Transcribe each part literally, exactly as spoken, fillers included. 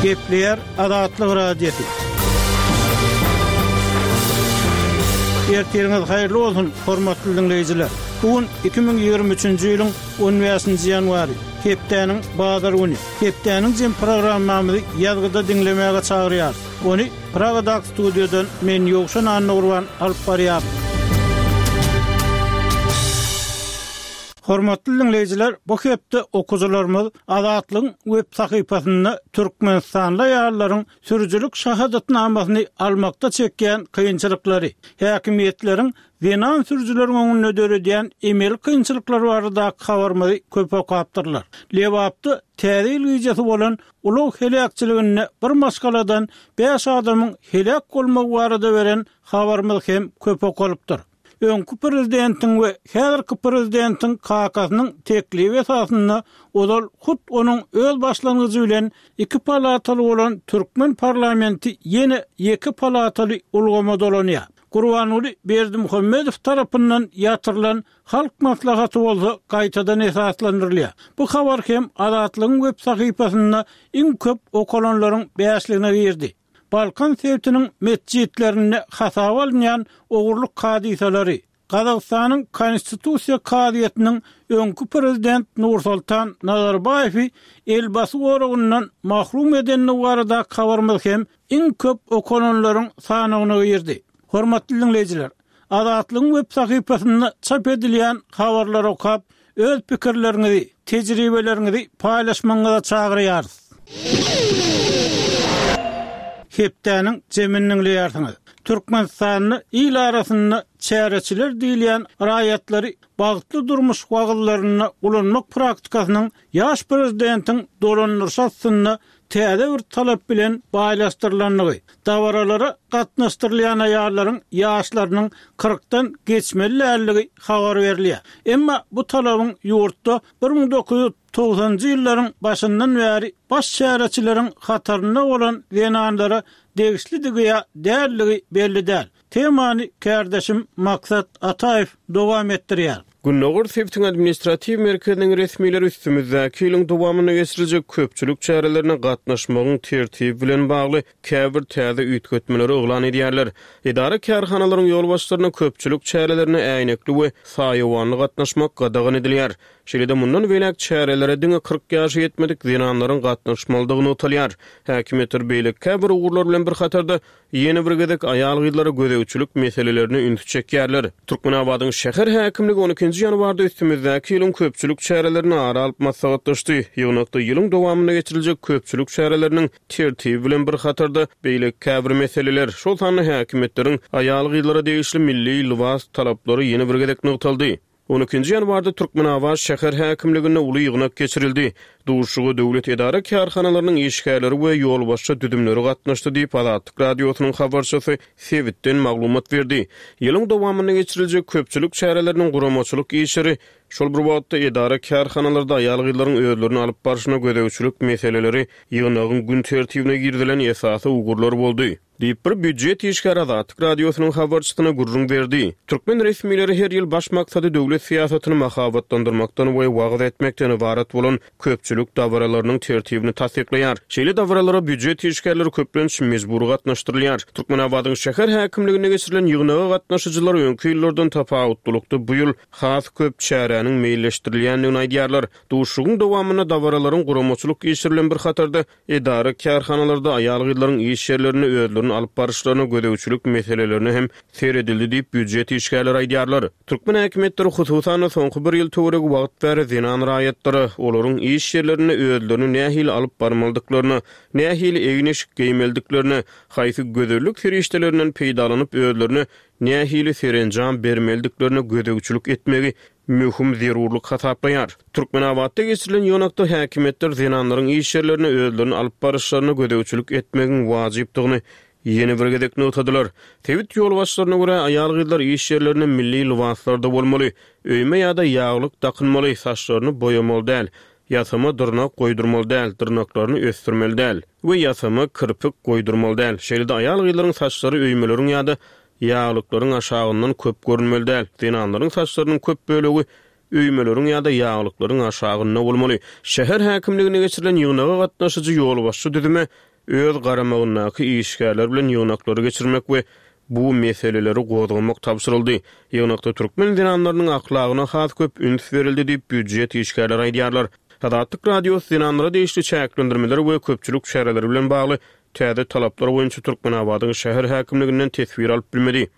Gepleýär Azatlyk Radiosy. Ertiriňiz haýyrly bolsun, hormatly diňleýjiler. Bu gün iki müň ýigrimi üçünji ýylyň on bäşinji ýanwary, hepdäniň bazar güni. Hepdäniň jem programmamyzy ýazgyda diňlemäge çagyrýarys. Ony Pragadaky studiýadan men Ýowşan Annagurban alyp barýaryn. Hormatly diňleýjiler, bu hepde okuwçylarymyz Azatlygyň web sahypasynda Türkmenistanly aýallaryň sürüjilik şahadatnamasyny almakda çekýän kynçylyklary, häkimiýetleriň zenan sürüjileriň öňünde döredýän emeli kynçylyklar baradaky habarymyzy köp okapdyrlar. Lebapda täze ýyl gijesi bolan ulag heläkçiliginde bir maşgaladan bäş adamyň heläk bolmagy barada beren habarymyz hem köp okalypdyr. Öňki prezidentiň we häzirki prezidentiň kakasynyň teklibi esasynda ozal hut onuň öz başlangyjy bilen iki palataly bolan türkmen parlamenti ýene iki palataly ulgama dolanýar. Gurbanguly Berdimuhamedow tarapyndan ýatyrylan Halk maslahaty bolsa gaýtadan esaslandyrylýar. Bu habar hem Azatlygyň web sahypasynda iň köp okalanlaryň bäşligine girdi. Balkan sebitiniň metjitlerinde hasaba alynýan ogurlyk hadysalary, Gazagystanyň Konstitusiýa kazyýetiniň öňki prezident Nursultan Nazarbaýewi elbasy goragyndan mahrum edendigi baradaky habarymyz hem iň köp okalanlaryň sanawyna girdi. Hormatly diňleýjiler, Azatlygyň web sahypasynda çap edilýän habarlary okap, öz pikirleriňizi, tejribeleriňizi paýlaşmagyňyza çagyrýarys. Hepdäniň jemini diňleýärsiňiz. Türkmenistanda il arasynda çäreçiler diýilýän raýatlary bagtly durmuş wagyzlarynda ulanmak praktikasynyň ýaş prezidentiň dolandyryşy astynda täze bir talap bilen baýlaşdyrylandygy, dabaralara gatnaşdyrylýan aýallaryň ýaşlarynyň kyrkdan geçmeli däldigi habar berilýär. Emma bu talabyň ýurtda bir müň dokuz ýüz togsanjy ýyllaryň başyndan bäri baş çäreçileriň hatarynda bolan zenanlara degişlidigi ýa däldigi belli däl. Temany kärdeşim Maksat Ataýew dowam etdirýär. Gündogar sebitiň administratiw merkeziniň resmileri üstümizdäki ýylyň dowamynda geçiriljek köpçülik çärelerine gatnaşmagyň tertibi bilen bagly käbir täze üýtgetmeleri yglan edýärler. Edara kärhanalaryň ýolbaşçylaryna köpçülik çärelerine äýnekli we saýawanly gatnaşmak gadagan edilýär. Şeýle-de mundan beýläk çärelere diňe kyrk ýaşa ýetmedik zenanlaryň gatnaşmalydygy nygtalýar. Häkimiýetler beýleki käbir ugurlar bilen bir hatarda ýene bir gezek aýal-gyzlara gözegçilik meselelerine ünsi çekýärler. Türkmenabadyň şäher häkimligi on ikinji ýanwarda üstümizdäki ýylyň köpçülik çärelerini ara alyp maslahatlaşdy. Ýygnakda ýylyň dowamynda geçiriljek köpçülik çäreleriniň tertibi bilen bir hatarda beýleki käbir meseleler, şol sanda häkimiýetleriň aýal-gyzlara degişli milli lybas talaplary ýene bir gezek nygtaldy. On ikinji ýanwarda Türkmenabat şäher häkimliginde uly ýygnak geçirildi. Duşuşyga döwlet edara kärhanalarynyň işgärleri we ýolbaşçy düzümleri gatnaşdy diýip Azatlyk Radiosynyň habarçysy sebitden maglumat berdi. Ýylyň dowamynda geçiriljek köpçülik çäreleriniň guramaçylyk işleri, şol bir wagtda edara kärhanalarda aýal-gyzlaryň özlerini alyp barşyna gözegçilik meseleleri ýygnagyň gün tertibine girizilen esasy ugurlar boldy. Diýip bir býujet işgäri Azatlyk Radiosynyň habarçysyna gürrüň berdi. Türkmen resmileri her ýyl baş maksady döwlet syýasatyny mahabatlandyrmakdan we wagyz etmekden ybarat bolan köpçülik dabaralarynyň tertibini tassyklaýar. Şeýle dabaralara býujet işgärleri köplenç mejbury gatnaşdyrylýar. Türkmenabadyň şäher häkimliginde geçirilen ýygnaga gatnaşyjylar öňki ýyllardan tapawutlylykda bu ýyl has köp çäräniň meýilleşdirilýändigini aýdýarlar. Duşuşygyň dowamynda dabaralaryň guramaçylyk işleri bilen bir hatarda edara kärhanalarda aýal-gyzlaryň iş ýerlerinde özlerini alyp baryşlaryna gözegçilik meselelerine hem seredildi diýip býujet işgärleri aýdýarlar. Türkmen häkimiýetleri hususan-da soňky bir ýyl töweregi wagt bäri zenan raýatlara olaryň iş ýerlerinde özlerini nähili alyp barmalydyklaryna, nähili egin-eşik geýmelidiklerine, haýsy gözellik serişdelerinden peýdalanyp özlerine nähili serenjam bermelidiklerine gözegçilik etmegi möhüm zerurlyk hasaplaýar. Türkmenabatda geçirilen ýygnakda häkimiýetler zenanlaryň iş ýerlerine özlerini alyp baryşlaryna gözegçilik etmegiň wajypdygyny ýene bir gezek nygtadylar. Sebit ýolbaşçylaryna görä aýal-gyzlar iş ýerlerinde milli lybaslarda bolmaly, öýme ýa-da ýaglyk dakynmaly, saçlaryny boýamaly däl, ýasama dyrnak goýdurmaly däl, dyrnaklaryny ösdürmeli däl we ýasama kirpik goýdurmaly däl. Şeýle-de aýal-gyzlaryň saçlary öýmeleriň ýa-da ýaglyklaryň aşagyndan köp görünmeli däl. Zenanlaryň saçlarynyň köp bölegi öýmeleriň ýa-da ýaglyklaryň aşagynda bolmaly. Şäher häkimligine geçirilen ýygnaga gatnaşyjy ýolbaşçy düzüme öz garamagyndaky işgärler bilen ýygnaklary geçirmek we bu meseleleri gozgamak tabşyryldy. Ýygnakda türkmen zenanlarynyň ahlagyna has köp üns berildi diýip, býujet işgärleri aýdýarlar. Azatlyk Radiosy zenanlara degişli çäklendirmeler we köpçülik çäreleri bilen bagly täze talaplar boýunça Türkmenabadyň şäher häkimliginden teswir alyp bilmedi.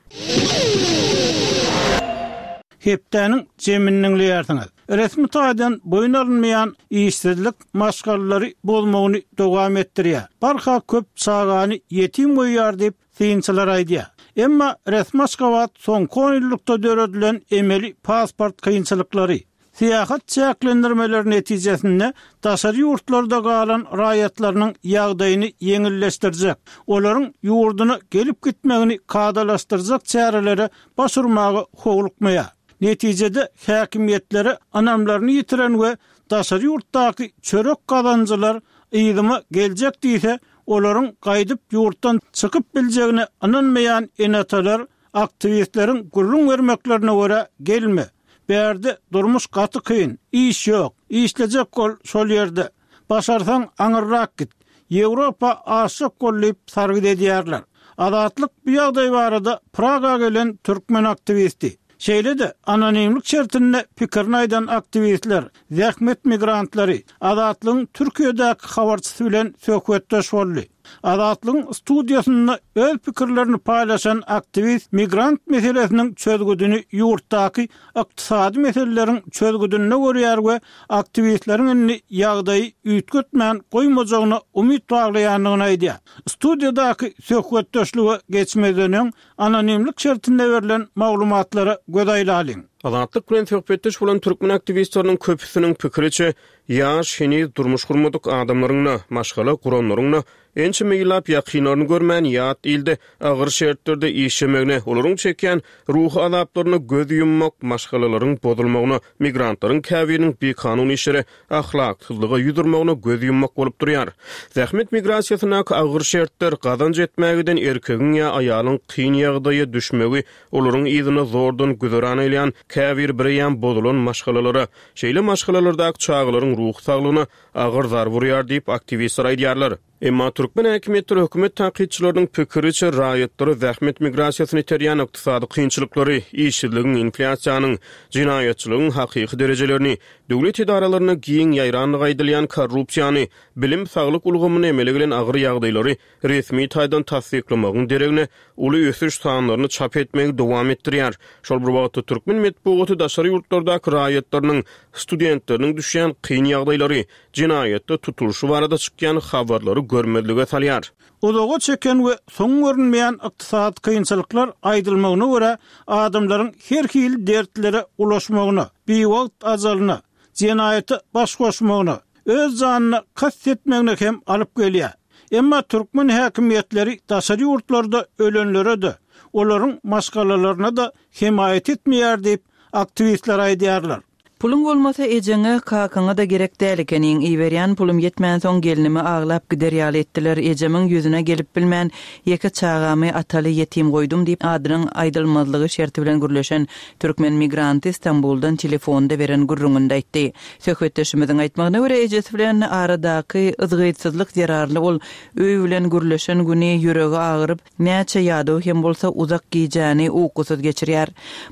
Hepdäniň jemini diňleýärsiňiz. Resmi taýdan boýun alynmaýan işsizlik maşgalalary bozmagyny dowam etdirýär. Barha köp çagany ýetim goýýar diýip, synçylar aýdýar. Emma resmi Aşgabat soňky on ýyllykda döredilen emeli pasport kynçylyklary, syýahat çäklendirmeleri netijesinde daşary ýurtlarda galan raýatlarynyň ýagdaýyny ýeňilleşdirjek, olaryň ýurduna gelip gitmegini kadalaşdyrjak çärelere baş urmaga howlukmaýar. Netijede häkimiýetlere ynamlaryny ýitiren we daşary ýurtdaky çörek gazanjylar yzyma geljek diýse, olaryň gaýdyp ýurtdan çykyp biljegine ynanmaýan ene-atalar aktiwistleriň gürrüň bermeklerine görä gelme. Bärde durmuş gaty kyn, iş ýok, işlejek bol şol ýerde. Başarsaň aňyrrak git. Ýewropa aşyk bol diýip sargyt edýärler. Azatlyk bu ýagdaý barada Praga gelen türkmen aktiwisti. Şeýle-de anonimlik şertinde pikirini aýdan aktiwistler, zähmet migrantlary Azatlygyň Türkiýedäki habarçysy bilen söhbetdeş boldy. Azatlygyň studiýasynda öz pikirlerini paýlaşan aktiwist migrant meselesiniň çözgüdini ýurtdaky ykdysady meseleleriň çözgüdinde görýär we aktiwistleriň indi ýagdaýy üýtgetmän goýmajagyna umyt baglaýandygyny aýdýar. Studiýadaky söhbetdeşlige geçmezden öň anonimlik şertinde berlen maglumatlara göz aýlalyň. Azatlyk bilen söhbetdeş bolan türkmen aktiwistleriniň köpüsiniň pikiriçe, ýaş heniz durmuş gurmadyk adamlaryň-da, maşgala guranlaryň-da ençeme ýyllap ýakynlaryny görmän ýat ilde agyr şertlerde işlemegine, olaryň çekýän ruhy azaplaryna göz ýummak, maşgalalaryň bozulmagyna, migrantlaryň käbiriniň bikanun işlere, ahlaksyzlyga ýüz urmagyna göz ýummak bolup durýar. Zähmet migrasiýasyndaky agyr şertler, gazanç etmäge giden erkegiň ýa aýalyň kyn ýagdaýa düşmegi, olaryň yzyna zordan güzeran eýleýän käbir bireýän bozulan maşgalalara, şeýle maşgalalardaky çagalaryň ruhy saglygyna agyr zarba urýar diýip aktiwistler aýdýarlar. Emma türkmen häkimiýetleri hökümet tankytçylarynyň pikiriçe raýatlary zähmet migrasiýasyny iterýän ykdysady kynçylyklary, işsizligiň, inflýasiýanyň, jenaýatçylygyň hakyky derejelerini, döwlet edaralaryna giň ýaýrandygy aýdylýan korrupsiýany, bilim, saglyk ulgamyna emele gelen agyr ýagdaýlary resmi taýdan tassyklamagyň deregine uly ösüş sanlaryny çap etmegi dowam etdirýär. Şol bir wagtda türkmen metbugaty daşary ýurtlardaky raýatlarynyň, studentleriniň düşýän kyn ýagdaýlary, jenaýatda tutulyşy barada çykýan habarlary görmezlige salýar. Uzaga çeken we soň görünmeýän ykdysady kynçylyklar aýdylmagyna görä adamlaryň her hili dertlere ulaşmagyna, biwagt ajalyna, jenaýata baş goşmagyna, öz janyna kast etmegine hem alyp gelýär. Emma türkmen häkimiýetleri daşary ýurtlarda ölenlere-de, olaryň maşgalalaryna-da hemaýat etmeýär diýip aktiwistler aýdýarlar. Puluň bolmasa ejeňe, kakaňa da gerek däl ekeniň. Iberýän pulum ýetmänsoň gelinimi aglap gider ýaly etdiler. Ejemiň ýüzüne gelip bilmän, ýeke çagamy ataly ýetim goýdum diýip adynyň aýdylmazlygy şerti bilen gürleşen türkmen migranty Stambuldan telefonda beren gürrüňinde aýtdy. Söhbetdeşimiziň aýtmagyna görä ejesi bilen aradaky yzgytsyzlyk zerarly ol öý bilen gürleşen güni ýüregi agyryp, näçe ýadaw hem bolsa uzak gijäni ukusyz geçirýär.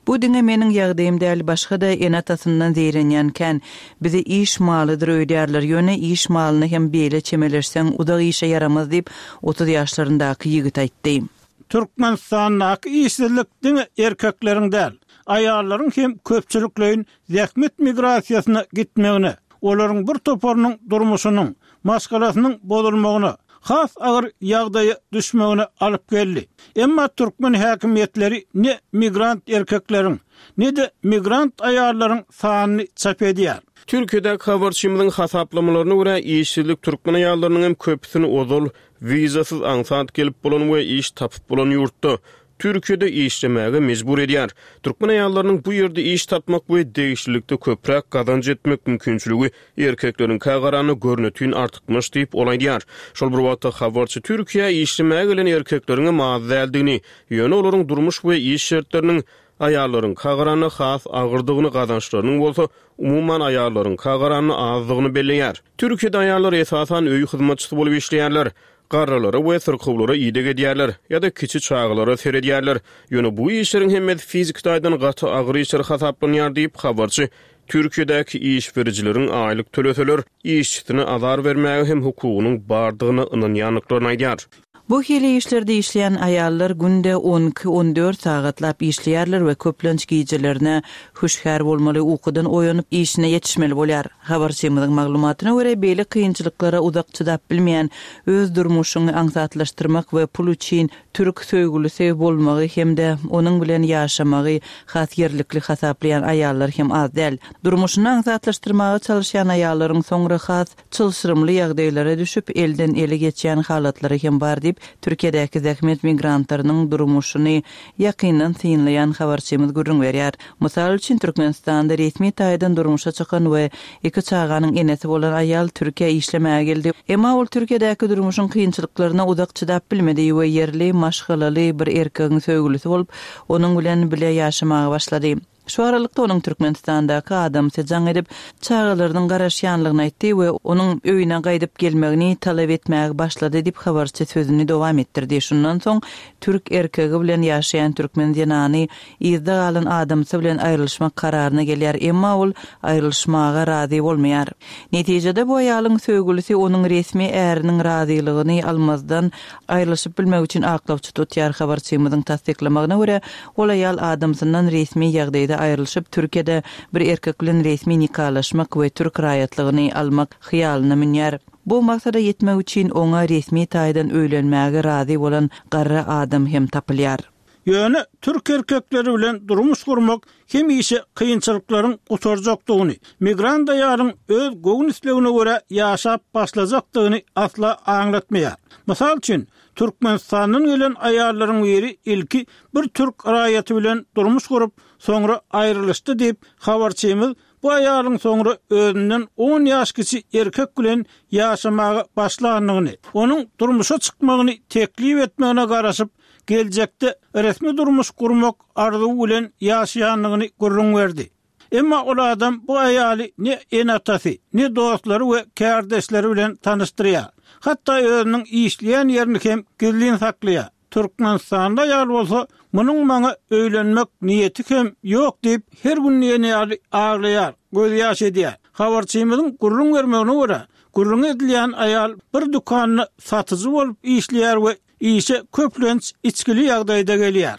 Bu diňe meniň ýagdaýym däl, başga-da ene-atasyndan zeýrenýän kän. Bizi iş malydyr öýdýärler, ýöne iş malyna hem beýle çemeleşseň uzak işe ýaramaz diýip otuz ýaşlaryndaky ýigit aýtdy. Türkmenistandaky işsizlik diňe erkekleriň däl, aýallaryň hem köpçülikleýin zähmet migrasiýasyna gitmegine, olaryň bir toparynyň durmuşynyň, maşgalasynyň bozulmagyna, has agyr ýagdaýa düşmegine alyp geldi. Emma türkmen häkimiýetleri ne migrant erkekleriň, ne-de migrant aýallaryň sanyny çap edýär. Türkiýedäki habarçymyzyň hasaplamalaryna görä işsizlik türkmen aýallarynyň hem köpüsini ozal wizasyz aňsat gelip bolan we iş tapyp bolan ýurtda Türkiýede işlemäge mejbur edýär. Türkmen aýallarynyň bu ýerde iş tapmak we degişlilikde köpräk gazanç etmek mümkinçiligi erkekleriňkä garanda görnetin artykmaç diýip ol aýdýar. Şol bir wagtda habarçy Türkiýä işlemäge gelen erkekleriň hem az däldigini, ýöne olaryň durmuş we iş şertleriniň aýallaryňka garanda has agyrdygyny, gazançlarynyň bolsa umuman aýallaryňka garanda azdygyny belleýär. Türkiýede aýallar esasan öý hyzmatçysy bolup işleýärler. garrylara we syrkawlara ideg edýärler ýa-da kiçi çagalara seredýärler. Ýöne bu işleriň hemmesi fiziki taýdan gaty agyr işler hasaplanýar diýip, habarçy Türkiýedäki iş berijileriň aýlyk töleseler, işçisine azar bermäge hem hukugynyň bardygyna ynanýandyklaryny aýdýar. Bu hili işlerde işleýän aýallar günde on iki on dört sagatlap işleýärler we köplenç gijelerine hüşgär bolmaly, ukudan oýanyp işine ýetişmeli bolýar. Habarçymyzyň maglumatyna görä, beýle kynçylyklara uzak çydap bilmeýän, öz durmuşyny aňsatlaşdyrmak we pul üçin türk söýgülisi bolmagy hem-de onuň bilen ýaşamagy has ýerlikli hasaplaýan aýallar hem az däl. Durmuşyny aňsatlaşdyrmaga çalışýan aýallaryň soňra has çylşyrymly ýagdaýlara düşüp, elden ele geçýän halatlary hem bar diýip, Türkiýedäki zähmet migrantlarynyň durmuşyny ýakyndan synlaýan habarçymyz gürrüň berýär. Mysal üçin, Türkmenistanda resmi taýdan durmuşa çykan we iki çaganyň enesi bolan aýal Türkiýä işlemäge geldi. Emma ol Türkiýedäki durmuşyň kynçylyklaryna uzak çydap bilmedi we ýerli maşgalaly bir erkegiň söýgülisi bolup, onuň bilen bile ýaşamaga başlady. Şu aralykda onuň Türkmenistandaky adamsy jaň edip, çagalarynyň garaşýanlygyny aýtdy we onuň öýüne gaýdyp gelmegini talap etmäge başlady diýip habarçy sözüni dowam etdirdi. Şundan soň türk erkegi bilen ýaşaýan türkmen zenany yzda galan adamsy bilen aýrylyşmak kararyna gelýär, emma ol aýrylyşmaga razy bolmaýar. Netijede bu aýalyň söýgülisi onuň resmi äriniň razylygyny almazdan aýrylyşyp bilmek üçin aklawçy tutýar. Habarçymyzyň tassyklamagyna görä, ol aýal adamsyndan resmi ýagdaýda aýrylyşyp, Türkiýede bir erkek bilen resmi nikalaşmak we türk raýatlygyny almak hyýalyna münýär. Bu maksada ýetmek üçin oňa resmi taýdan öýlenmäge razy bolan garry adam hem tapylýar. Ýöne türk erkekleri bilen durmuş gurmak hemişe kynçylyklaryň gutarjakdygyny, migrant aýalyň öz göwün islegine görä ýaşap başlajakdygyny asla aňlatmaýar. Mysal üçin, Türkmenistandan gelen aýallaryň biri ilki bir türk raýaty bilen durmuş gurup, soňra aýrylyşdy diýip, habarçymyz bu aýalyň soňra özünden on ýaş kiçi erkek bilen ýaşamaga başlandygyny, onuň durmuşa çykmagyny teklip etmegine garaşyp, geljekde resmi durmuş gurmak arzuwy bilen ýaşaýandygyny gürrüň berdi. Emma ol adam bu aýaly ne ene-atasy, ne dostlary we kärdeşleri bilen tanyşdyrýar. Hatda özüniň işleýän ýerini hem gizlin saklaýar. Türkmenistanda aýal bolsa, munuň maňa öýlenmek niýeti hem ýok diýip, her gün diýen ýaly aglaýar, göz ýaş edýär. Habarçymyzyň gürrüň bermegine görä, gürrüň edilýän aýal bir dükanda satyjy bolup işleýär we işe köplenç içkili ýagdaýda gelýär.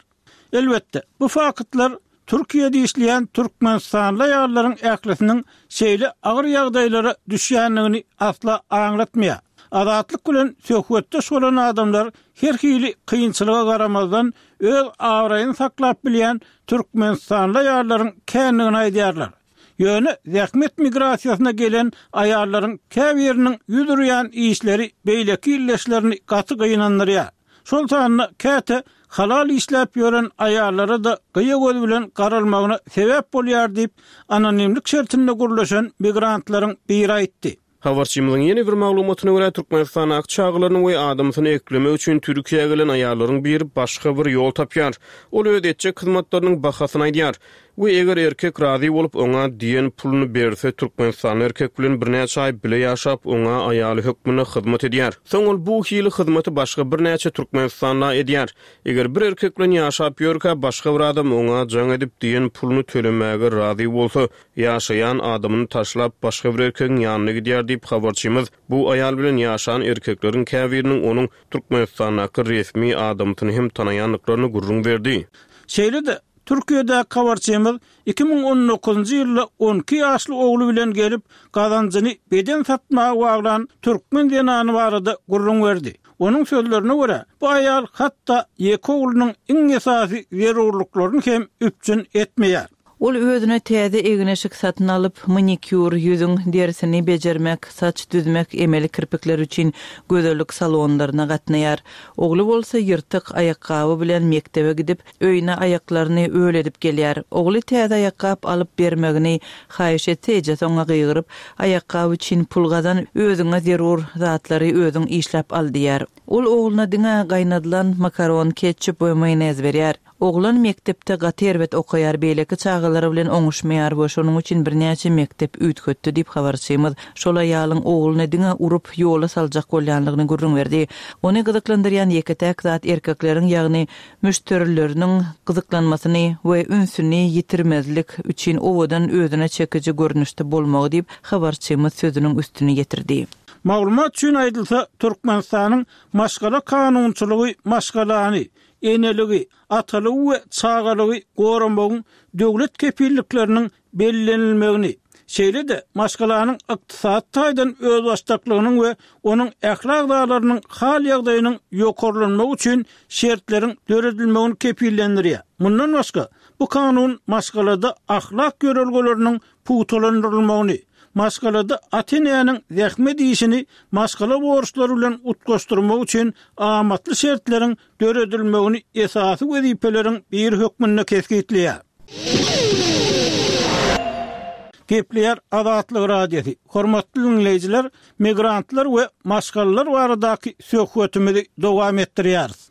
Elbetde, bu faktlar Türkiýede işleýän Türkmenistanly aýallaryň ählisiniň şeýle agyr ýagdaýlara düşýändigini asla aňlatmaýar. Azatlyk bilen söhbetdeş bolan adamlar her hili kynçylyga garamazdan öz abraýyny saklap bilýän Türkmenistanly aýallaryň kändigini aýdýarlar. Ýöne zähmet migrasiýasyna gelen aýallaryň käbiriniň ýüz urýan işleri beýleki illeşlerini gaty gynandyrýar. Şol sanda käte halal işläp ýören aýallara da gyýa göz bilen garalmagyna sebäp bolýar diýip, anonimlik şertinde gurlaşan migrantlaryň biri aýtdy. Habarçymyzyň ýene bir maglumatyna görä, Türkmenistanda çagalaryny we adamsyny eklemek üçin Türkiýä gelen aýallaryň biri başga bir ýol tapýar. Ol öz etjek hyzmatlarynyň bahasyny aýdýar we eger erkek razy bolup oňa diýen puluny berse, Türkmenistanda erkek bilen birnäçe aý bile ýaşap, oňa aýaly hökmünde hyzmat edýär. Soň ol bu hili hyzmaty başga birnäçe Türkmenistanda edýär. Eger bir erkek bilen ýaşap ýörkä başga bir adam oňa jaň edip diýen puluny tölemäge razy bolsa, ýaşaýan adamyny taşlap başga bir erkegiň ýanyna gidýär diýip habarçymyz bu aýal bilen ýaşan erkekleriň käbiriniň onuň Türkmenistandaky resmi adamsyny hem tanaýandyklaryny gürrüň berdi. Şeýle-de Türkiýede habarçymyz iki müň on dokuzynjy ýylda on iki ýaşly ogly bilen gelip, gazanjyny beden satmaga baglan türkmen zenany barada gürrüň berdi. Onuň sözlerine görä, bu aýal hatda ýeke oglunyň iň esasy zerurlyklaryny hem üpjün etmeýär. Ol özüne täze egin-eşik satyn alyp, manikýur, ýüzüň derisini bejermek, saç düzmek, emeli kirpikler üçin gözellik salonlaryna gatnaýar. Ogly bolsa ýyrtyk aýakgaby bilen mekdebe gidip, öýüne aýaklaryny öl edip gelýär. Ogly täze aýakgap alyp bermegini haýyş etse, ejesi oňa gygyryp, aýakgap üçin pul gazan, özüňe zerur zatlary özüň işläp al diýär. Ol ogluna diňe gaýnadylan makaron, ketçup we maýonez berýär. Oglan mekdepde gaty erbet okaýar, beýleki çagalary bilen oňuşmaýar we şonuň üçin birnäçe mekdep üýtgetdi diýip habarçymyz şol aýalyň ogluny diňe urup ýola saljak bolýanlygyny gürrüň berdi. Ony gyzyklandyrýan ýeke-täk zat erkekleriň ýagny müşderileriniň gyzyklanmasyny we ünsüni ýitirmezlik üçin owadan özüne çekiji görnüşde bolmagy diýip habarçymyz sözüniň üstüni ýetirdi. Maglumat üçin aýdylsa, Türkmenistanyň maşgala kanunçylygy maşgalany, eneligi, atalygy we çagalygy goramagyň döwlet kepillikleriniň bellenilmegini, şeýle-de maşgalanyň ykdysady taýdan özbaşdaklygynyň we onuň ähli agzalarynyň hal-ýagdaýynyň ýokarlanmagy üçin şertleriň döredilmegini kepillendirýär. Mundan başga, bu kanun maşgalada ahlak ýörelgeleriniň pugtalandyrylmagyny, maşgalada ata-enäniň zähmet işini maşgala borçlary bilen utgaşdyrmak üçin amatly şertleriň döredilmegini esasy wezipeleriň biri hökmünde kesgitleýär. Gepleýär Azatlyk Radiosy. Hormatly diňleýjiler, migrantlar we maşgalalar baradaky söhbetimizi dowam etdirýäris.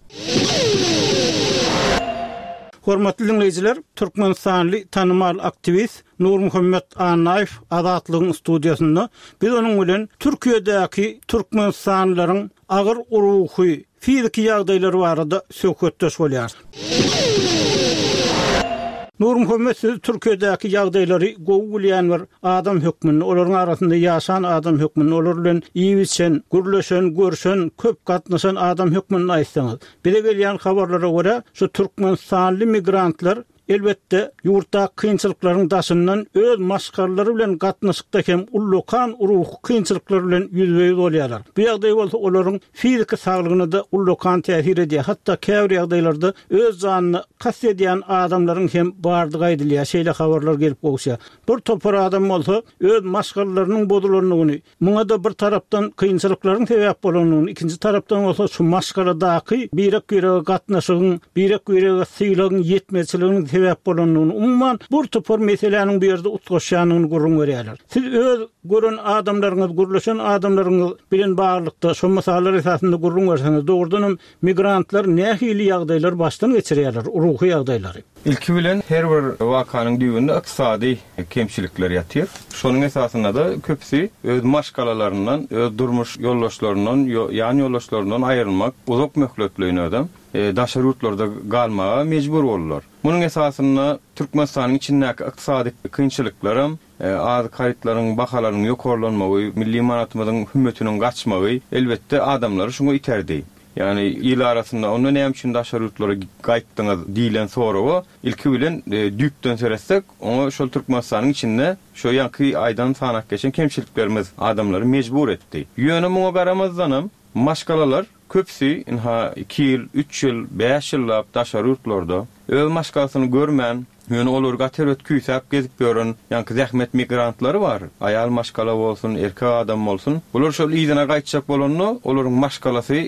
Hormatly diňleýjiler, Türkmenistanly tanymal aktiwist Nurmuhammet Annaýew Azatlygyň studiýasynda biz onuň bilen Türkiýedäki türkmenistanlylaryň agyr ruhy, fiziki ýagdaýlary barada söhbetdeş bolýarys. Nurmuhammet, siz Türkiýedäki ýagdaýlary gowy bilýän bir adam hökmünde, olaryň arasynda ýaşan adam hökmünde, olar bilen iýip-içen, gürleşen, görşen, köp gatnaşan adam hökmünde aýtsaňyz, bize gelýän habarlara görä, şu türkmenistanly migrantlar elbetde ýurtdaky kynçylyklaryň daşyndan öz maşgalalary bilen gatnaşykda hem ullakan ruhy kynçylyklar bilen ýüzbe-ýüz bolýarlar. Bu ýagdaý bolsa olaryň fiziki saglygyna-da ullakan täsir edýär. Hatda käbir ýagdaýlarda öz janyna kast edýän adamlaryň hem bardygy aýdylýar. Şeýle habarlar gelip gowuşýar. Bir topar adam bolsa öz maşgalalarynyň bozulandygyny, muňa-da bir tarapdan kynçylyklaryň sebäp bolandygyny, ikinji tarapdan bolsa şu maşgaladaky birek-birege gatnaşygyň, birek-birege sylagyň ýetmezçiliginiň sebäp bolandygyny, umuman bir topar meseläniň bu ýerde utgaşýandygyny gürrüň berýärler. Siz öz gören adamlaryňyz, gürleşen adamlaryňyz bilen baglylykda şu mysallar esasynda gürrüň berseňiz, dogrudanam migrantlar nähili ýagdaýlar başdan geçirýärler, ruhy ýagdaýlary? Ilki bilen her bir wakanyň düýbünde ykdysady kemçilikler ýatyr. Şonuň esasynda-da köpüsi öz maşgalalaryndan, öz durmuş ýoldaşlaryndan, ýan ýoldaşlaryndan aýrylmak, uzak möhletleýin özem daşary ýurtlarda galmaga mejbur boldular. Munuň esasynda Türkmenistanyň içindäki ykdysady kynçylyklaram, azyk harytlaryň bahalarynyň ýokarlanmagy, milli manatymyzyň hümmetiniň gaçmagy elbetde adamlary şuňa iterdi. Ýagny il arasynda onda näme üçin daşary ýurtlara gaýtdyňyz diýlen soraga ilki bilen düýpden seretsek, oňa şol Türkmenistanyň içinde şo ýaňky aýdan sanak geçen kemçiliklerimiz adamlary mejbur etdi. Ýöne muňa garamazdanam maşgalalar köpüsi inha iki ýyl, üç ýyl, bäş ýyllap daşary ýurtlarda öz maşgalasyny görmän, ýöne olary gaty erbet küýsäp gezip ýören ýaňky zähmet migrantlary bar. Aýal maşgala bolsun, erkek adam bolsun. Bular şol yzyna gaýtjak bolanda, olaryň maşgalasy,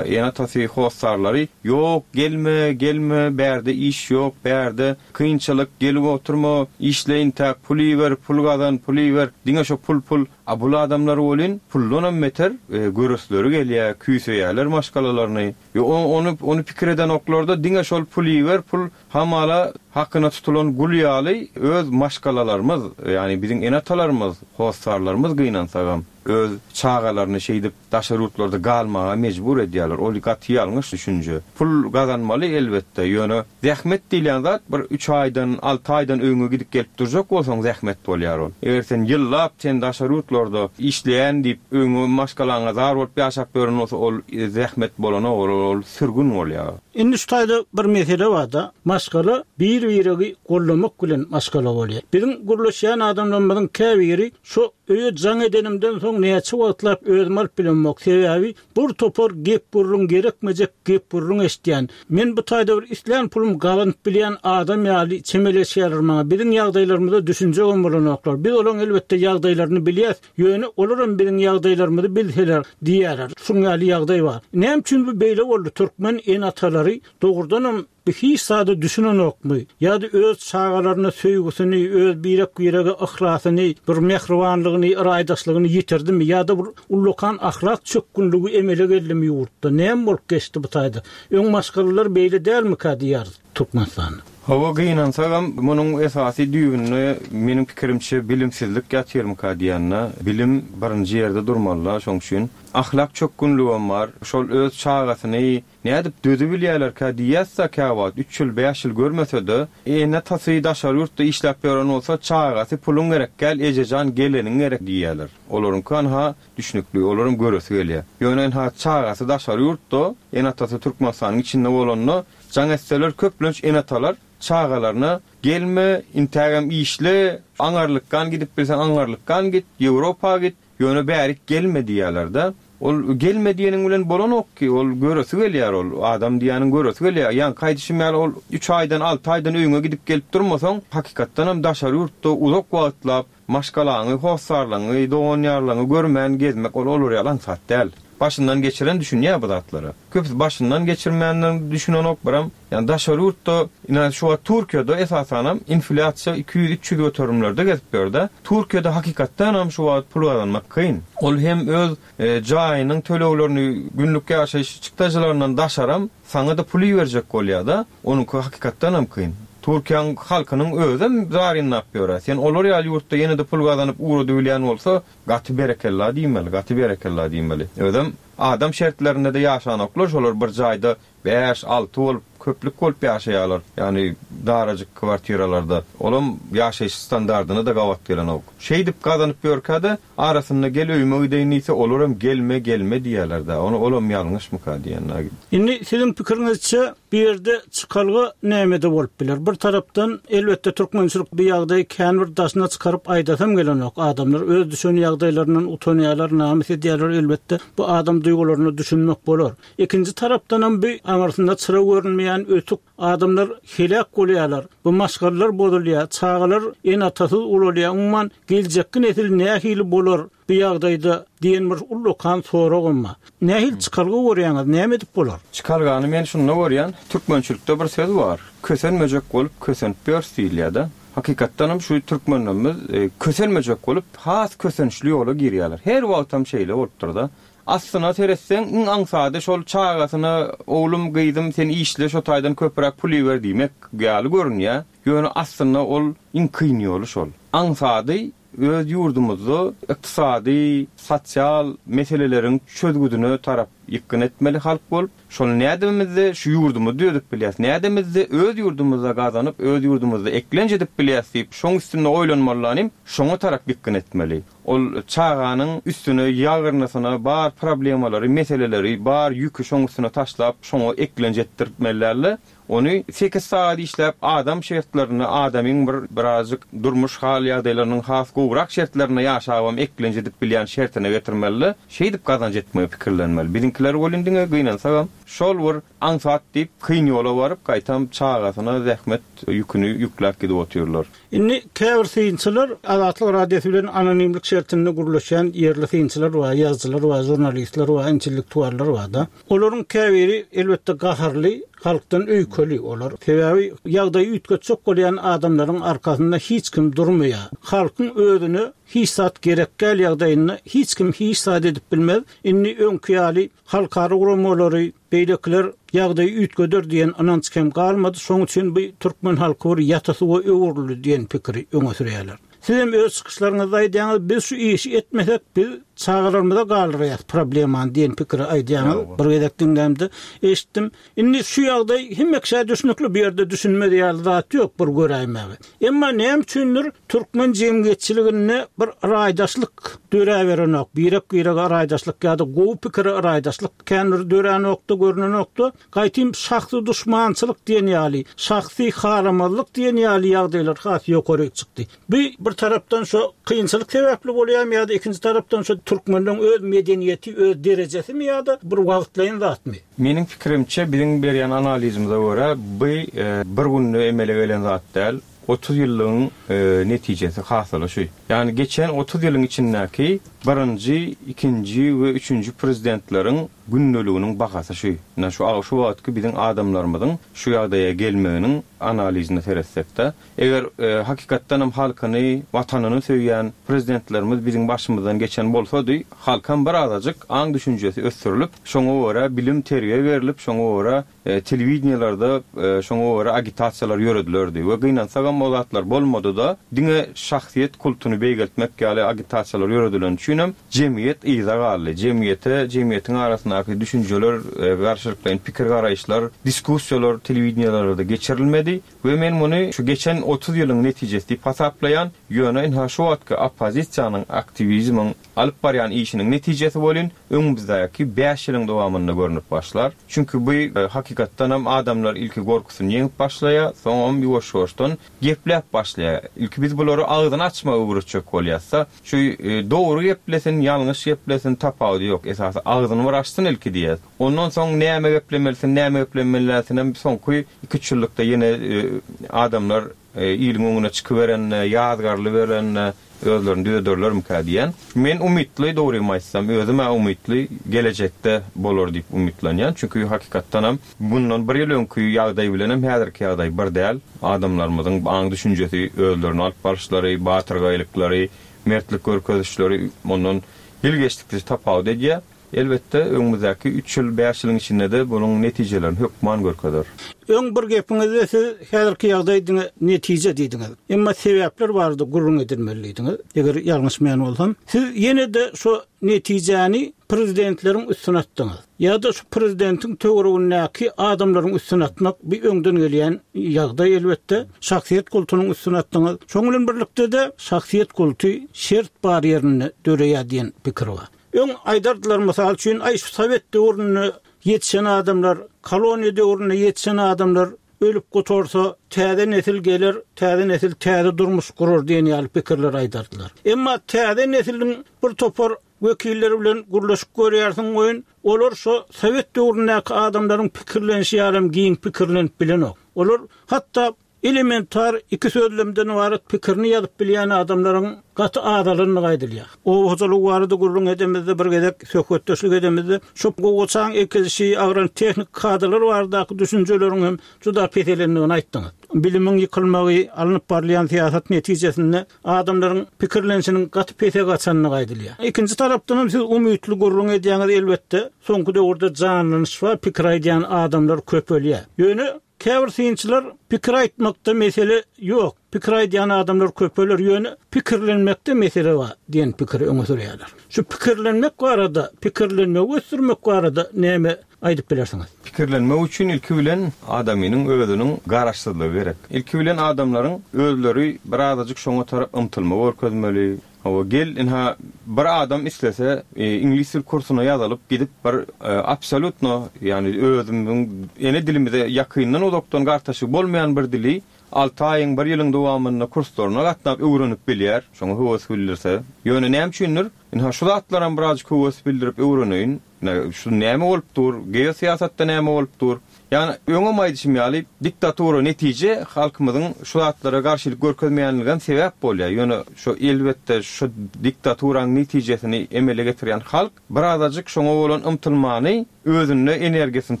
ene-atasy, hossarlary ýok, gelme, gelme, bärde iş ýok, bärde kynçylyk, gelip oturma, işleýin täk, pul iber, pul gazan, pul iber, diňe şo pul pul. A bul adamlar welin puldanam beter göresleri gelýär, küýseýärler maşgalalaryny. Ony ony pikir edenoklarda diňe şol pul iber, pul hamala hakyna tutulan gul ýaly öz maşgalalarymyz, ýagny biziň ene-atalarymyz, hossarlarymyz gynansagam öz çagalaryny şeýdip daşary ýurtlarda galmaga mejbur edýärler. Ol gaty ýalňyş düşünje. Pul gazanmaly elbetde, ýöne zähmet diýlen zat bir üç aýdan, alty aýdan öýüňe gidip gelip durjak bolsaň zähmet bolýar ol. Eger sen ýyllap sen daşary ýurtlarda işleýän diýip öýüňe maşgalaňa zar bolup ýaşap ýören bolsa ol zähmet bolanok, ol, ol sürgün bolýar. Indi şu taýda bir mesele bar-da, maşgala bir-biregi gollamak bilen maşgala bolýar. Biziň gürleşýän adamlarymyzyň käbiri şu öýe jaň edenimden soň näçe wagtlap özüm alyp bilemok. Sebäbi bir topar gep gürrüň gerekmejek gep gürrüň eşitýän. Men bu taýda bir islän pulum gazanyp bilýän adam ýaly çemeleşýärler maňa. Biziň ýagdaýlarymyza düşünjegem bolanoklar. Biz olaryň elbetde ýagdaýlaryny bilýäs. Ýöne olaram biziň ýagdaýlarymyzy bilseler diýýärler. Şuň ýaly ýagdaý bar. Näme üçin bu beýle boldy? Türkmen ene-atalary dogrudanam Bu hiç zada düşünenokmy? Ýa-da öz çagalaryna söýgüsini, öz birek-birege yhlasyny, bir mähribanlygyny, raýdaşlygyny ýitirdimi ýa-da bir ullakan ahlak çökgünligi emele geldimi ýurtda? Näme bolup geçdi bu taýda? Öň maşgalalar beýle dälmika diýýäris Türkmenistanda. Hawa gynansagam munuň esasy düýbünde meniň pikirimçe bilimsizlik ýatyrmyka diýende, bilim birinji ýerde durmaly, şoň üçin ahlak çökgünligem bar. Şol öz çagasyny nädip dözi bilýärlerkä diýýärse käwagt üç ýyl, bäş ýyl görmese-de, ene-atasy daşary ýurtda işläp ýören bolsa, çagasy puluň gerek gel, ejejan geleniň gerek diýýärler. Olaryň anha düşnükli, olaryň göresi gelýär. Ýöne ha çagasy daşary ýurtda, ene-atasy Türkmenistanyň içinde bolanda, jaň etseler köplenç ene-atalar çagalaryna gelme, intägem işle, aňarlykdan gidip bilsen aňarlykdan git, Ýewropa git, ýöne bärik gelme diýýärler-de. Ol gelme diýeniň bilen bolanok ki, ol göresi gelýär ol, adam diýeniň göresi gelýär. Ýa gaýdyşym ýaly ol üç aýdan, alty aýdan öýüňe gidip gelip durmasaň, hakykatdan hem daşary ýurtda uzak wagtlap maşgalaňy, hossarlaryňy, dogan-ýarlaryňy görmän gezmek ol olar ýaly aňsat däl. Başyndan geçiren düşünýär bu zatlara. Köpüsi başyndan geçirmänden düşünenok biram. Ýani daşary ýurtda, ina şu wagt Türkiýede esasanam inflýasiýa iki ýüz üç ýüz göterimlerde gezip ýörde. Türkiýede hakykatdan hem şu wagt pul gazanmak kyn. Ol hem öz, e, jaýynyň töleglerini, günlük ýaşaýyş çykdajylaryndan daşaram saňa da pul berjek bolýar-da, onuňky hakykatdan hem kyn. Türkiýäniň halkynyň özem zarynlap ýörer. Sen olar ýaly ýurtda ýene de pul gazanyp ugrady bilýän bolsa, gaty berekella diýmeli, gaty berekella diýmeli. Özem adam şertlerinde de ýaşanoklar, şolar bir jaýda bäş alty bolup, köplük bolup ýaşaýarlar. Ýani darajyk kwartiralarda. Olam ýaşaýyş standardyna da gabat gelenok. Şeýdip gazanyp ýörkä-de arasynda gel öýüme gideýin diýse, olaram gelme, gelme diýerler-de. Ony olam ýalňyşmyka diýenler. Indi siziň pikiriňizçe bu ýerde çykalga nämede bolup biler? Bir tarapdan elbetde türkmençilik bir ýagdaý kän bir daşyna çykaryp aýdasam gelenok. Adamlar öz düşen ýagdaýlaryndan utanýarlar, namys edýärler elbetde. Bu adam duýgularyna düşünmek bolar. Ikinji tarapdan hem bir aňyrsynda çyra görünmeýän ötük adamlar helak bolýarlar. Bu maşgalalar bozulýar, çagalar ene-atasyz ulalýar. Umuman geljekki nesil nähili bolar bu ýagdaýda diýen bir ullakan soragym bar. Nähili çykalga görýäňiz, näme edip bolar? Çykalgany men şunda görýän, türkmençilikde bir söz bar. Kösenmejek bolup kösenip ýörs diýilýär-de. Hakykatdan hem şu türkmenlerimiz, e, kösenmejek bolup has kösençli ýola girýärler. Her wagt hem şeýle bolupdyr-da. Aslynda seretseň iň aňsady şol çagasyna oglum, gyzym sen işle şo taýdan köpräk pul ber diýmek ýaly görünýär. Ýöne aslynda ol iň kyn ýoly şol. Aňsady öz ýurdumyzda ykdysady, sosial meseleleriň çözgüdine tarap ýykgyn etmeli halk bolup, şol nädemizde şu ýurdumyzy düzüp bilýäs, nädemizde öz ýurdumyzda gazanyp, öz ýurdumyzda eklenç edip bilýäs diýip, şoň üstünde oýlanmalylanym, şoňa tarap ýykgyn etmeli. Ol çaganyň üstüne, ýagyrnasyna bar problemalary, meseleleri, bar ýüki şoň üstüne taşlap, şoňa eklenç etdirtmelilerle. Ony sekiz saat işläp adam şertlerine, adamyň bir birazjyk durmuş hal ýagdaýlarynyň has gowrak şertlerine ýaşabam eklenç edip bilýän şertine getirmeli, şeýdip gazanç etmegi pikirlenmeli. Biziňkiler bolun diňe gynansagam şol bir aňsat diýip kyn ýola baryp gaýtam çagasyna zähmet ýüküni ýükläp gidip otyrlar. Indi käbir synçylar Azatlyk Radiosy bilen anonimlik şertinde gurluşan ýerli synçylar we ýazyjylar we jurnalistler we intellektuallar bar-da. Olaryň käbiri elbetde gaharly, halkdan öýkeli olar. Sebäbi ýagdaýy üýtgetjek bolýan adamlaryň arkasynda hiç kim durmaýar. Halkyň özüne hiç zat gerek gel ýagdaýynda hiç kim hiç zat edip bilmez. Indi öňki ýaly halkara guramalary, beýlekiler ýagdaýy üýtgeder diýen ynanç kem galmady. Şoň üçin bu türkmen halky bir ýatasy we öwrüldi diýen pikiri öňe sürýärler. Siz hem öz çykyşlaryňyzda aýdýaňyz, biz şu işi etmesek, biz çagalarymyza galdyraýas problemany diýen pikiri aýdýaňyz. Bir gezek diňlämde eşitdim. Indi şu ýagdaý hemme kişä düşünükli, bu ýerde düşünmez ýaly zat ýok bir göräýmäge. Emma näme üçindir türkmen jemgyýetçiliginde bir raýdaşlyk döräberenok, birek-birege raýdaşlyk ýa-da gowy pikiri raýdaşlyk kändir döränokda, görünenokda, gaýtym şahsy duşmançylyk diýen ýaly, şahsy haramazlyk diýen ýaly ýagdaýlar has ýokary çykdy. Bu bir tarapdan şu kynçylyk sebäpli bolýar ýa-da ikinji tarapdan şu türkmenleň öz medeniýeti, öz derejesimi ýa-da bir wagtlaýyn zatmy? Meniň pikirimçe biziň berýän analizimize görä bu, e, bir günde emele gelen zat däl. otuz ýyllygyň, e, netijesi hasyly şu. Ýagny geçen otuz ýylyň içindäki birinji, ikinji we üçünji prezidentleriň gündeliginiň bahasy şu. Ine şu şu wagtky biziň adamlarymyzyň şu ýagdaýa gelmeginiň analizine seretsek-de, eger e, hakykatdan hem halkyny, watanyny söýýän prezidentlerimiz biziň başymyzdan geçen bolsady, halkam bir azajyk aň düşünjesi ösdürilip, şoňa görä bilim terbiýe berilip, şoňa görä e, telewideniýelerde e, şoňa görä agitasiýalar ýöredilerdi we gynansagam o zatlar bolmady-da, diňe şahsyýet kultuny beýgeltmek ýaly agitasiýalar ýöredilen üçinem jemgyýet yza galdy. Jemgyýete, jemgyýetiň arasyndaky düşünjeler, e, garşylyklaýyn pikir garaýyşlar, diskussiýalar telewideniýelerde geçirilmedi we men muny şu geçen otuz ýylyň netijesi diýip hasaplaýan, ýöne inha şu wagtky oppozisiýanyň, aktiwizmiň alyp barýan işiniň netijesi bolun öňümizdäki bäş ýylyň dowamynda görünip başlar. Çünki bu e, hakykatdan hem adamlar ilki gorkusyny ýeňip başlaýar, soňam ýuwaş-ýuwaşdan gepläp başlaýar. Ilki biz bulary agzyny açmagy öwretjek bolýarsa, şu e, dogry geplesin, ýalňyş geplesin tapawudy ýok. Esasy agzyny bir açsyn ilki diýýär. Ondan soň näme geplemelisin, näme geplemelisin hem soňky iki üç ýyllykda ýene e, adamlar e, iliň öňüne çykyberende, ýazgarly berende özlerini düzederlermikä diýen. Men umytly, dogrymy aýtsam, özüm umytly gelejekde bolar diýip umytlanýan. Çünki hakykatdan hem bundan bir ýyl öňki ýagdaý bilen hem häzirki ýagdaý bir däl. Adamlarymyzyň aň düşünjesi, özlerini alyp baryşlary, batyrgaýlyklary, mertlik görkezişleri ondan ýyl geçdikçe tapawut edýär. Elbetde öňümizdäki üç ýyl, bäş ýylyň içinde de bunuň netijelerini hökman görkezer. Öň bir gepiňizde siz häzirki ýagdaý diňe netije diýdiňiz. Emma sebäpler bardy gürrüň edilmelidiňiz. Eger ýalňyşmaýan bolsam, siz ýene de şu netijäni prezidentleriň üstüne atdyňyz. Ýa-da şu prezidentiň töweregindäki adamlaryň üstüne atmak bir öňden gelýän ýagdaý elbetde. Şahsyýet kultunyň üstüne atdyňyz. Şonuň bilen birlikde de şahsyýet kulty şert bar ýerinde döreýär diýen pikir bar. Öň aýdardylar mysal üçin, aý şu Sowet döwründe ýetişen adamlar, koloniýa döwründe ýetişen adamlar ölüp gutarsa, täze nesil geler, täze nesil täze durmuş gurar diýen ýaly pikirler aýdardylar. Emma täze nesiliň bir topar wekilleri bilen gürleşip görýärsiň goýun, olar şu Sowet döwründäki adamlaryň pikirlenişi ýaly giň pikirlenip bilenok. Olar hatda elementar iki sözlemden ibarat pikirini ýazyp bilýän adamlaryň gaty azalandygy aýdylýar. Oba hojalygy barada gürrüň edemizde bir gezek söhbetdeşlik edemizde şu gowaçaň ekilişi, agrotehnik kadalar baradaky düşünjeleriň hem juda peselendigini aýtdyňyz. Bilimiň ýykylmagy, alnyp barylýan syýasat netijesinde adamlaryň pikirlenişiniň gaty pese gaçandygy aýdylýar. Ikinji tarapdan hem siz umytly gürrüň edýäňiz elbetde, soňky döwürde janlanyş we pikir aýdýan adamlar köpelýär. Ýöne käbir synçylar pikir aýtmakda mesele ýok. Pikir aýdýan adamlar köpeler, ýöne pikirlenmekde mesele bar diýen pikiri öňe sürýärler. Şu pikirlenmek barada, pikirlenmegi ösdürmek barada näme aýdyp bilersiňiz? Pikirlenmek üçin ilki bilen adamynyň özüniň garaşsyzlygy gerek. Ilki bilen adamlaryň özleri bir azajyk şoňa tarap ymtylma görkezmeli. Hawa, gel inha bir adam islese, e, iňlis dil kursuna ýazylyp gidip bir, e, absolutno, ýani özümiziň ene dilimize ýakyndan uzakdan gartaşyk bolmaýan bir dili alty aýyň bir ýylyň dowamynda kurslaryna gatnap öwrenip bilýär. Şoňa höwes bildirse. Ýöne näme üçindir? Inha şu zatlaram birazcık höwes bildirip öwreneýin. Ne, şu näme bolup dur? Geosyýasatda näme bolup dur? Ýani öňem aýdyşym ýaly diktatura netije halkymyzyň şu zatlara garşylyk görkezmeýänligem sebäp bolýar. Ýöne şu elbetde şu diktaturanyň netijesini emele getirýän halk birazajyk şoňa bolan ymtylmany özünde energiýasyny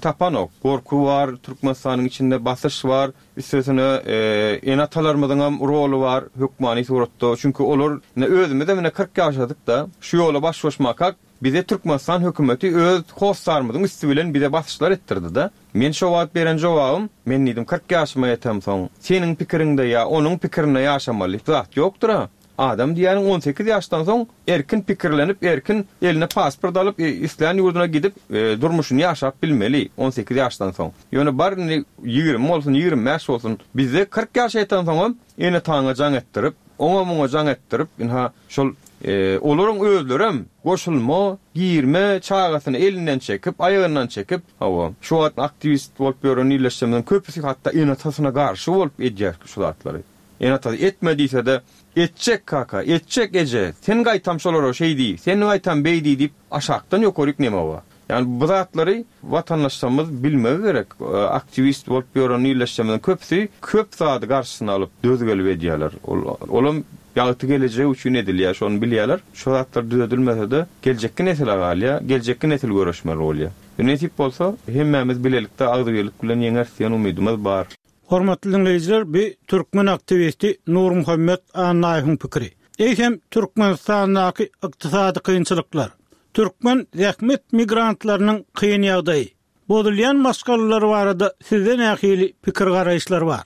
tapanok. Gorky bar, Türkmenistanyň içinde basyş bar, üstesine, e, ene-atalarymyzyň hem roly bar hökmany suratda. Çünki olar ne özümizde mine kyrk ýaşadyk da şu ýola baş goşmakak bize Türkmenistan hökümeti öz hostarymyzyň üstü bilen bize basyşlar etdirdi da. Men şo wagt beren jogabym, men diýdim kyrk ýaşyma ýetem soň, seniň pikiriňde ýa onuň pikirinde ýaşamaly zat ýokdur ha. Adam diýýäniň on sekiz ýaşdan soň erkin pikirlenip, erkin eline pasport alyp, e, islän ýurduna gidip, e, durmuşyny ýaşap bilmeli on sekiz ýaşdan soň. Ýöne bar indi ýigrimi bolsun, ýigrimi bäş bolsun, bizde kyrk ýaşa ýeten soňam ene taňa jaň etdirip, oňa muňa jaň etdirip, inha şol, e, olaryň özlerem goşulma, girme çagasyny elinden çekip, aýagyndan çekip, hawa, şu wagt aktiwist bolup ýören illeşjemiziň köpüsi hatda ene-atasyna garşy bolup edýär şu zatlary. Ene-atasy etme diýse de, etjek kaka, etjek eje, sen gaýtam şolara şey diý, sen gaýtam beý diý diýip aşakdan ýokaryk neme bar. Ýani bu zatlary watandaşlarymyz bilmegi gerek. E, aktiwist bolup ýören illeşjemiziň köpüsi köp zady garşysyna alyp döz gelip edýärler. Ol, olam Ýagty gelejek üçin edilýär, şony bilýärler. Şo zatlar düzedilmese-de, geljekki nesile galýar, geljekki nesil göreşmeli bolýar. Nesip bolsa, hemmämiz bilelikde agzybirlik bilen ýeňeris diýen umydymyz bar. Hormatly diňleýjiler, bu türkmen aktiwisti Nurmuhammet Annaýewiň pikiri. Eýsem Türkmenistandaky ykdysady kynçylyklar, türkmen zähmet migrantlarynyň kyn ýagdaýy, bozulýan maşgalalar barada sizde nähili pikir garaýyşlar bar?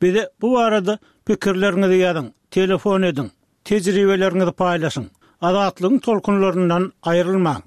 Bize bu barada pikirleriňizi ýazyň, telefon ediň, tejribeleriňizi paýlaşyň. Azatlygyň tolkunlaryndan aýrylmaň.